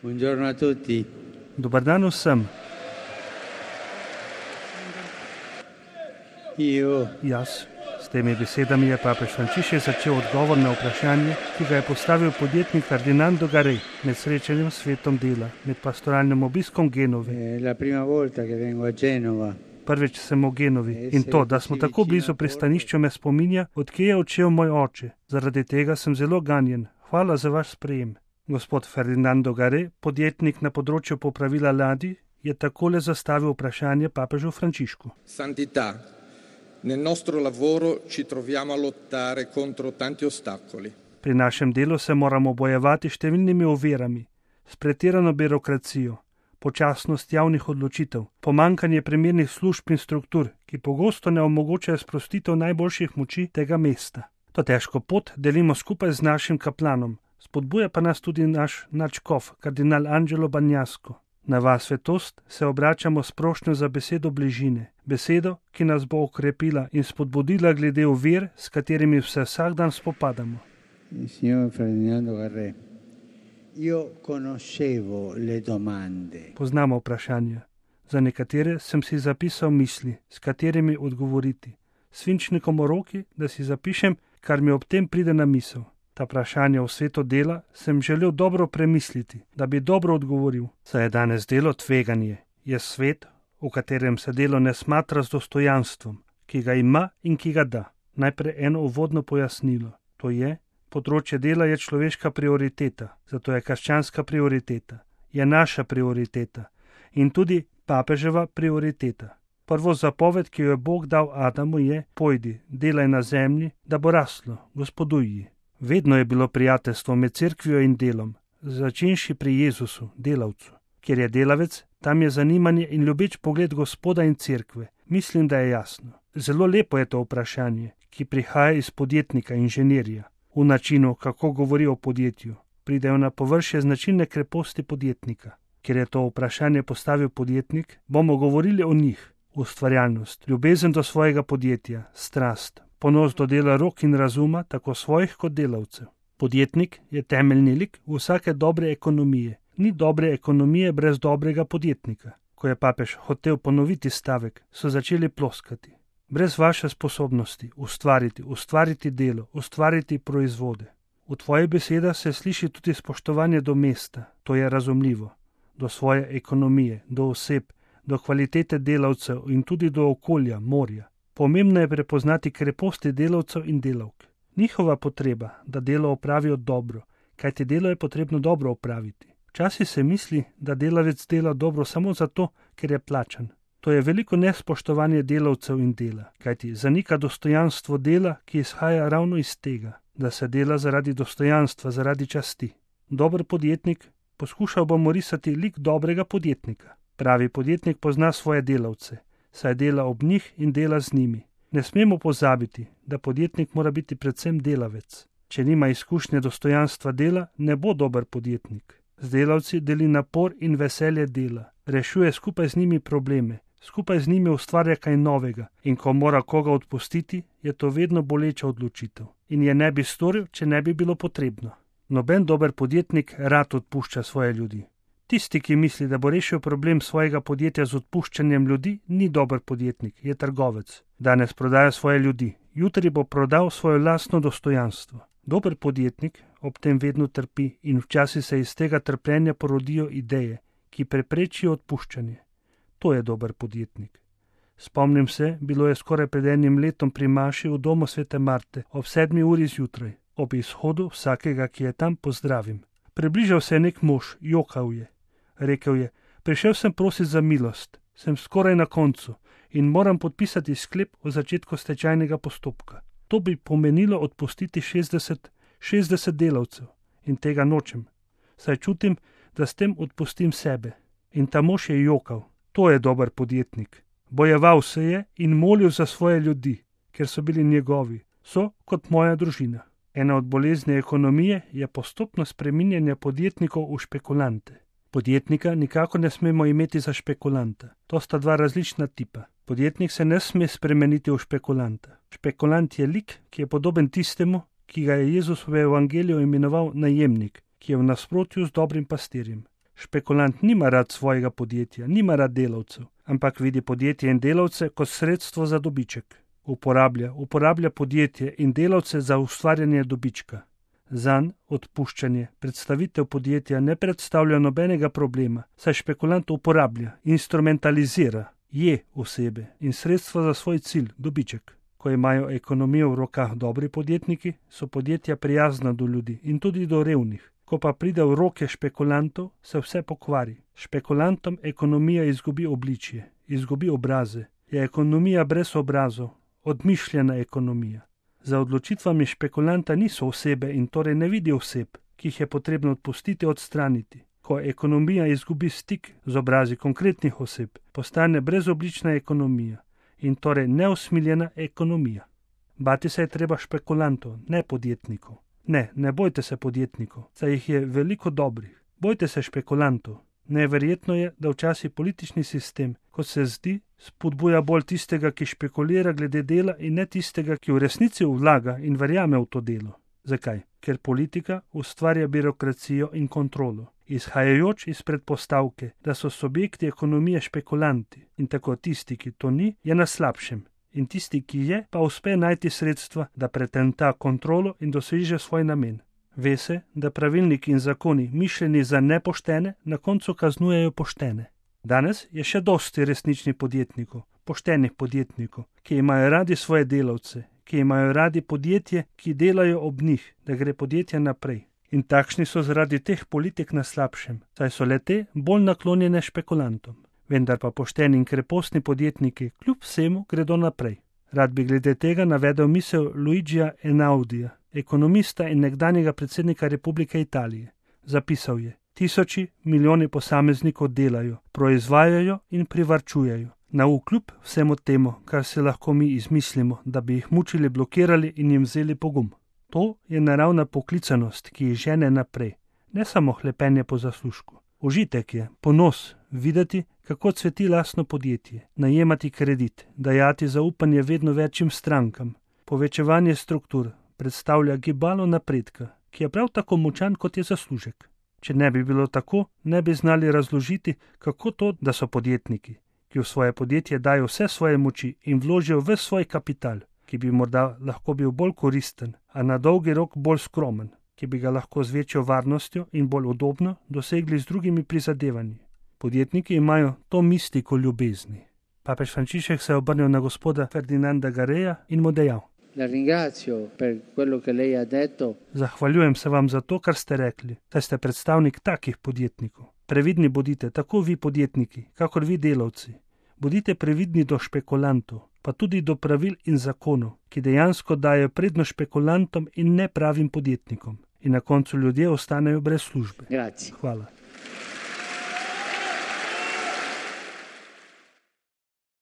Buongiorno a tutti. Dobar dan vsem. Jaz. S temi besedami je papež Frančišek začel odgovor na vprašanje, ki ga je postavil podjetnik Ferdinando Garej med srečanjem s svetom dela, med pastoralnim obiskom Genove. La prima volta che vengo a Genova. Prvič sem v Genovi in to, da smo tako blizu pristanišča, me spominja, odkje je odšel moj oče. Zaradi tega sem zelo ganjen. Hvala za vaš sprejem. Gospod Ferdinando Garej, podjetnik na področju popravila ladij, je takole zastavil vprašanje papežu Frančišku. Santità, nel nostro lavoro ci troviamo a lottare contro tanti ostacoli. Pri našem delu se moramo bojevati številnimi ovirami, s pretirano birokracijo, počasnost javnih odločitev, pomanjkanje primernih služb in struktur, ki pogosto ne omogočajo sprostitev najboljših moči tega mesta. To težko pot delimo skupaj z našim kaplanom, spodbuja pa nas tudi naš nadškof, kardinal Angelo Bagnasco. Na vas, svetost, se obračamo s prošnjo za besedo bližine, besedo, ki nas bo okrepila in spodbudila glede ovir, s katerimi se vsak dan spopadamo. Signor Ferdinando Garej, io conoscevo le domande. Poznamo vprašanja. Za nekatere sem si zapisal misli, s katerimi odgovoriti. Svinčnikom v roki, da si zapišem, kar mi ob tem pride na misel. Ta vprašanja v svetu dela sem želel dobro premisliti, da bi dobro odgovoril. Saj je danes delo tveganje. Je svet, v katerem se delo ne smatra z dostojanstvom, ki ga ima in ki ga da. Najprej eno uvodno pojasnilo. To je, področje dela je človeška prioriteta, zato je krščanska prioriteta. Je naša prioriteta in tudi papeževa prioriteta. Prvo zapoved, ki jo je Bog dal Adamu, je: pojdi, delaj na zemlji, da bo raslo, gospoduj. Vedno je bilo prijateljstvo med cerkvijo in delom, začenši pri Jezusu, delavcu. Kjer je delavec, tam je zanimanje in ljubeč pogled Gospoda in cerkve. Mislim, da je jasno. Zelo lepo je to vprašanje, ki prihaja iz podjetnika, inženirja. V načinu, kako govori o podjetju, pridejo na površje značilne kreposti podjetnika. Ker je to vprašanje postavil podjetnik, bomo govorili o njih. Ustvarjalnost, ljubezen do svojega podjetja, strast, ponos do dela rok in razuma, tako svojih kot delavcev. Podjetnik je temeljni lik vsake dobre ekonomije. Ni dobre ekonomije brez dobrega podjetnika. Ko je papež hotel ponoviti stavek, so začeli ploskati. Brez vaše sposobnosti ustvariti delo, ustvariti proizvode. V tvojih besedah se sliši tudi spoštovanje do mesta, to je razumljivo, do svoje ekonomije, do oseb, do kvalitete delavcev in tudi do okolja, morja. Pomembno je prepoznati kreposti delavcev in delavk. Njihova potreba, da delo opravijo dobro, kajti delo je potrebno dobro opraviti. Včasih se misli, da delavec dela dobro samo zato, ker je plačan. To je veliko nespoštovanje delavcev in dela, kajti zanika dostojanstvo dela, ki izhaja ravno iz tega, da se dela zaradi dostojanstva, zaradi časti. Dober podjetnik, poskušal bomo risati lik dobrega podjetnika. Pravi podjetnik pozna svoje delavce, saj dela ob njih in dela z njimi. Ne smemo pozabiti, da podjetnik mora biti predvsem delavec. Če nima izkušnje dostojanstva dela, ne bo dober podjetnik. Z delavci deli napor in veselje dela, rešuje skupaj z njimi probleme, skupaj z njimi ustvarja kaj novega in ko mora koga odpustiti, je to vedno boleča odločitev. In je ne bi storil, če ne bi bilo potrebno. Noben dober podjetnik rad odpušča svoje ljudi. Tisti, ki misli, da bo rešil problem svojega podjetja z odpuščanjem ljudi, ni dober podjetnik, je trgovec. Danes prodaja svoje ljudi, jutri bo prodal svoje lastno dostojanstvo. Dober podjetnik ob tem vedno trpi in včasih se iz tega trpljenja porodijo ideje, ki preprečijo odpuščanje. To je dober podjetnik. Spomnim se, bilo je skoraj pred enim letom pri maši v domu svete Marte ob 7 uri zjutraj. Ob izhodu vsakega, ki je tam, pozdravim. Približal se je nek mož, jokal je. Rekel je: prišel sem prosit za milost, sem skoraj na koncu in moram podpisati sklep o začetku stečajnega postopka. To bi pomenilo odpustiti 60 delavcev in tega nočem. Saj čutim, da s tem odpustim sebe. In ta mož je jokal. To je dober podjetnik. Bojeval se je in molil za svoje ljudi, ker so bili njegovi. So kot moja družina. Ena od bolezni ekonomije je postopno spreminjanje podjetnikov v špekulante. Podjetnika nikakor ne smemo imeti za špekulanta. To sta dva različna tipa. Podjetnik se ne sme spremeniti v špekulanta. Špekulant je lik, ki je podoben tistemu, ki ga je Jezus v evangeliju imenoval najemnik, ki je v nasprotju z dobrim pastirjem. Špekulant nima rad svojega podjetja, nima rad delavcev, ampak vidi podjetje in delavce kot sredstvo za dobiček. Uporablja podjetje in delavce za ustvarjanje dobička. Zanj odpuščanje, predstavitev podjetja ne predstavlja nobenega problema, saj špekulant uporablja, instrumentalizira, je osebe in sredstva za svoj cilj, dobiček. Ko imajo ekonomijo v rokah dobri podjetniki, so podjetja prijazna do ljudi in tudi do revnih. Ko pa pride v roke špekulantov, se vse pokvari. Špekulantom ekonomija izgubi obličje, izgubi obraze. Je ekonomija brez obrazov, odmišljena ekonomija. Za odločitvami špekulanta niso osebe in torej ne vidi oseb, ki jih je potrebno odpustiti, odstraniti. Ko ekonomija izgubi stik z obrazi konkretnih oseb, postane brezoblična ekonomija in torej neusmiljena ekonomija. Bati se je treba špekulantov, ne podjetnikov. Ne bojte se podjetnikov, saj jih je veliko dobrih. Bojte se špekulantov. Neverjetno je, da včasih politični sistem, kot se zdi, spodbuja bolj tistega, ki špekulira glede dela in ne tistega, ki v resnici vlaga in verjame v to delo. Zakaj? Ker politika ustvarja birokracijo in kontrolo, izhajajoč iz predpostavke, da so subjekti ekonomije špekulanti in tako tisti, ki to ni, je na slabšem. In tisti, ki je, pa uspe najti sredstva, da pretenta kontrolo in doseže svoj namen. Ve se, da pravilniki in zakoni, mišljeni za nepoštene, na koncu kaznujejo poštene. Danes je še dosti resničnih podjetnikov, poštenih podjetnikov, ki imajo radi svoje delavce, ki imajo radi podjetje, ki delajo ob njih, da gre podjetje naprej. In takšni so zaradi teh politik na slabšem, saj so le-te bolj naklonjene špekulantom. Vendar pa pošteni in krepostni podjetniki kljub vsemu gredo naprej. Rad bi glede tega navedel misel Luigija Einaudija, ekonomista in nekdanjega predsednika Republike Italije. Zapisal je: tisoči, milijoni posameznikov delajo, proizvajajo in privarčujejo. Navkljub vsemu temu, kar se lahko mi izmislimo, da bi jih mučili, blokirali in jim vzeli pogum. To je naravna poklicanost, ki jih žene naprej, ne samo hlepenje po zaslužku. Užitek je, ponos, videti, kako cveti lastno podjetje, najemati kredit, dajati zaupanje vedno večjim strankam. Povečevanje struktur predstavlja gibalo napredka, ki je prav tako močan, kot je zaslužek. Če ne bi bilo tako, ne bi znali razložiti, kako to, da so podjetniki, ki v svoje podjetje dajo vse svoje moči in vložijo ves svoj kapital, ki bi morda lahko bil bolj koristen, a na dolgi rok bolj skromen, ki bi ga lahko z večjo varnostjo in bolj udobno dosegli z drugimi prizadevanji. Podjetniki imajo to mistiko ljubezni. Papež Frančišek se je obrnil na gospoda Ferdinanda Gareja in mu dejal: Zahvaljujem se vam za to, kar ste rekli, saj ste predstavnik takih podjetnikov. Previdni bodite, tako vi podjetniki, kakor vi delavci. Bodite previdni do špekulantov, pa tudi do pravil in zakonov, ki dejansko dajo prednost špekulantom in nepravim podjetnikom. In na koncu ljudje ostanejo brez službe. Hvala.